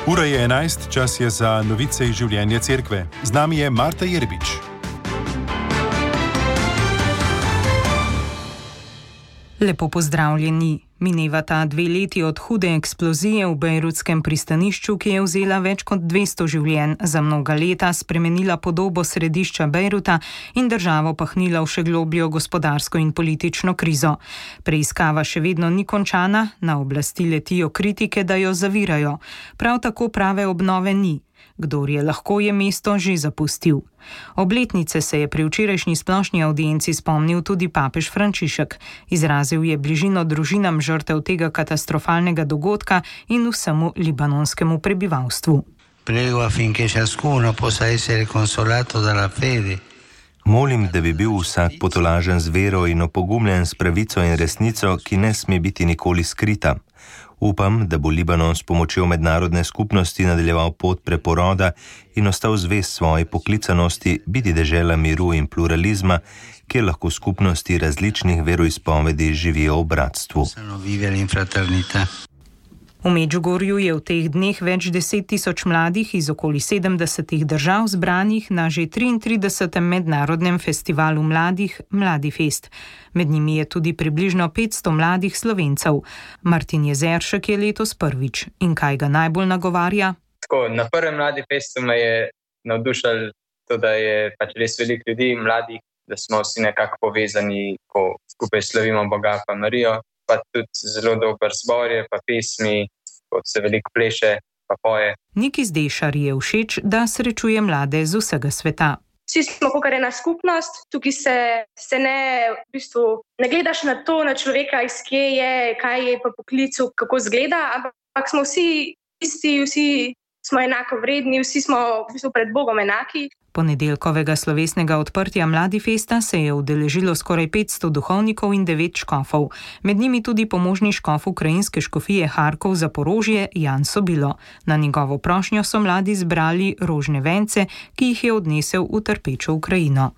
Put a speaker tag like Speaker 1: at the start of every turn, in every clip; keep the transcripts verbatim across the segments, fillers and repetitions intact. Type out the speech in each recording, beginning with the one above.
Speaker 1: Ura je enajst, čas je za novice iz življenja cerkve. Z nami je Marta Jerbič.
Speaker 2: Lepo pozdravljeni. Minevata dve leti od hude eksplozije v bejrutskem pristanišču, ki je vzela več kot dvesto življenj, za mnoga leta spremenila podobo središča Bejruta in državo pahnila v še globljo gospodarsko in politično krizo. Preiskava še vedno ni končana, na oblasti letijo kritike, da jo zavirajo. Prav tako prave obnove ni. Kdor je lahko, je mesto že zapustil. Obletnice se je pri včerajšnji splošni audienci spomnil tudi papež Frančišek. Izrazil je bližino družinam žrtev tega katastrofalnega dogodka in vsemu libanonskemu prebivalstvu.
Speaker 3: Prego affinché ciascuno possa essere consolato dalla fede.
Speaker 4: Molim, da bi bil vsak potolažen z vero in opogumljen s pravico in resnico, ki ne sme biti nikoli skrita. Upam, da bo Libanon s pomočjo mednarodne skupnosti nadaljeval pot preporoda in ostal zvest svoji poklicanosti biti dežela miru in pluralizma, kjer lahko skupnosti različnih veroizpovedi živijo v bratstvu.
Speaker 2: V Medžugorju je v teh dneh več deset tisoč mladih iz okoli sedemdesetih držav zbranih na že triintridesetem mednarodnem festivalu mladih Mladifest. Med njimi je tudi približno petsto mladih Slovencev. Martin Jezeršek je letos prvič. In kaj ga najbolj nagovarja?
Speaker 5: Tako, na prvem Mladifestu me je navdušalo to, da je pač res veliko ljudi, mladih, da smo vsi nekako povezani, ko skupaj slavimo Boga pa Marijo. Pa tudi zelo dober zbor je, pa pesmi, kot se veliko pleše, pa poje.
Speaker 2: Niki Zdešar je všeč, da srečuje mlade z vsega sveta.
Speaker 6: Vsi smo kakor ena skupnost, tukaj se, se ne, v bistvu, ne gledaš na to, na človeka, iz kje je, kaj je pa poklicu, kako zgleda, ampak smo vsi isti, vsi smo enako vredni, vsi smo v bistvu pred Bogom enaki.
Speaker 2: Ponedeljkovega slovesnega odprtja Mladifesta se je udeležilo skoraj petsto duhovnikov in devet škofov. Med njimi tudi pomožni škof ukrajinske škofije Harkov Zaporožje Jan Sobilo. Na njegovo prošnjo so mladi zbrali rožne vence, ki jih je odnesel v trpečo Ukrajino.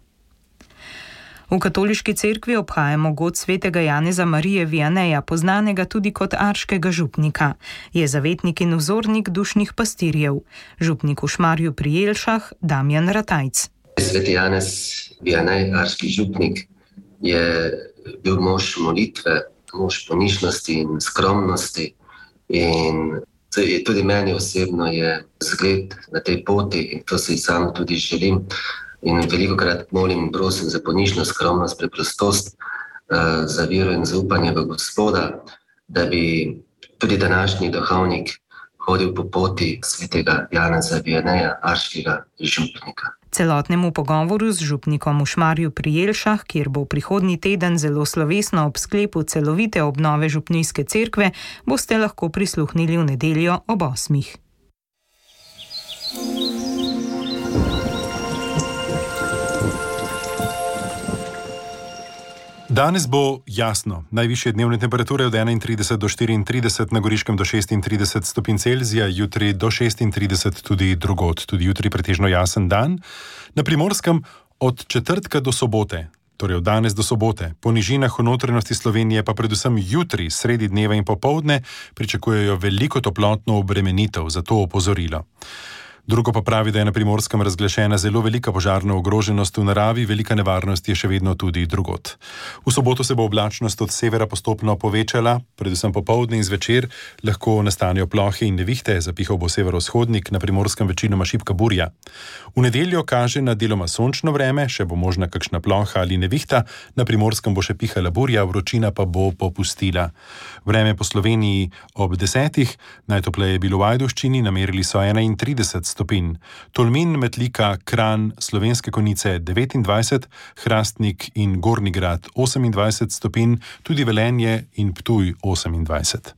Speaker 2: V katoliški cerkvi obhajamo god svetega Janeza Marije Vianeja, poznanega tudi kot arškega župnika. Je zavetnik in vzornik dušnih pastirjev. Župnik v Šmarju pri Jelšah, Damjan Ratajc.
Speaker 7: Sveti Janez Vianej, arški župnik, je bil mož molitve, mož ponižnosti in skromnosti. In tudi meni osebno je zgled na tej poti in to si sam tudi želim. In velikokrat molim in prosim za ponižnost, skromnost, preprostost, za vero in zaupanje v Gospoda, da bi tudi današnji duhovnik hodil po poti svetega Janeza Vianeja, arškega župnika.
Speaker 2: Celotnemu pogovoru z župnikom v Šmarju pri Jelšah, kjer bo prihodnji teden zelo slovesno ob sklepu celovite obnove župnijske cerkve, boste lahko prisluhnili v nedeljo ob osmih.
Speaker 1: Danes bo jasno. Najvišje dnevne temperature od enaintrideset do štiriintrideset, na Goriškem do šestintrideset stopinj Celzija, jutri do šestintrideset tudi drugod. Tudi jutri pretežno jasen dan. Na Primorskem od četrtka do sobote, torej od danes do sobote, po nižinah v notranjosti Slovenije pa predvsem jutri, sredi dneva in popoldne, pričakujejo veliko toplotno obremenitev, zato opozorilo. Drugo pa pravi, da je na Primorskem razglašena zelo velika požarna ogroženost v naravi, velika nevarnost je še vedno tudi drugod. V soboto se bo oblačnost od severa postopno povečala, predvsem popoldne in zvečer lahko nastanejo plohe in nevihte, zapihal bo severovzhodnik, na Primorskem večinoma šibka burja. V nedeljo kaže na deloma sončno vreme, še bo možna kakšna ploha ali nevihta, na Primorskem bo še pihala burja, vročina pa bo popustila. Vreme po Sloveniji ob desetih, najtopleje je bilo v Ajdovščini, namerili so enaintrideset stopinj. Tolmin, Metlika, Kranj, Slovenske Konjice devetindvajset, Hrastnik in Gornji Grad osemindvajset stopinj, tudi Velenje in Ptuj osemindvajset.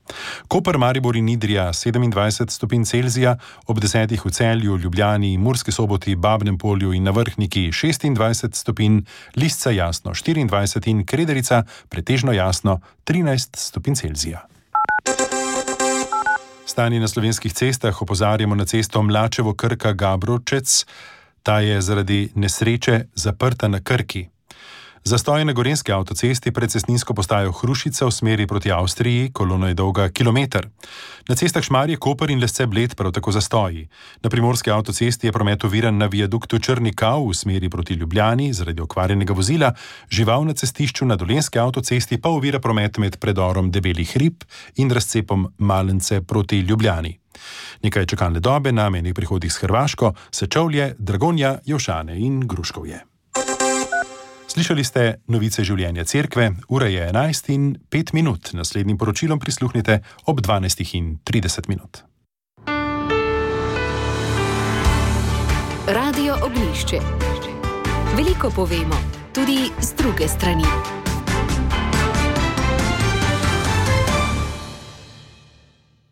Speaker 1: Koper, Maribor in Idrija sedemindvajset stopinj Celzija, ob desetih v Celju, Ljubljani, Murski Soboti, Babnem Polju in na Vrhniki šestindvajset stopinj, Lisca jasno štiriindvajset in Krederica pretežno jasno trinajst stopinj Celzija. Stanje na slovenskih cestah opozarjamo na cesto Mlačevo-Krka-Gabrovčec. Ta je zaradi nesreče zaprta na Krki. Zastoj na gorenjski avtocesti pred cestninsko postajo Hrušica v smeri proti Avstriji, kolona je dolga kilometer. Na cestah Šmarje-Koper in Lesce-Bled prav tako zastoji. Na primorski avtocesti je promet oviran na viaduktu Črni Kav v smeri proti Ljubljani zaradi okvarjenega vozila, žival na cestišču na dolenjski avtocesti pa ovira promet med predorom Debeli hrib in razcepom Malence proti Ljubljani. Nekaj čakalne dobe na mejnih prihodih s Hrvaško, Sečovlje, Dragonja, Jevšane in Gruškovje. Slišali ste novice življenja cerkve, ura je enajst in pet minut. Naslednjim poročilom prisluhnite ob dvanajst in trideset minut.
Speaker 8: Radio Ognjišče. Veliko povemo, tudi z druge strani.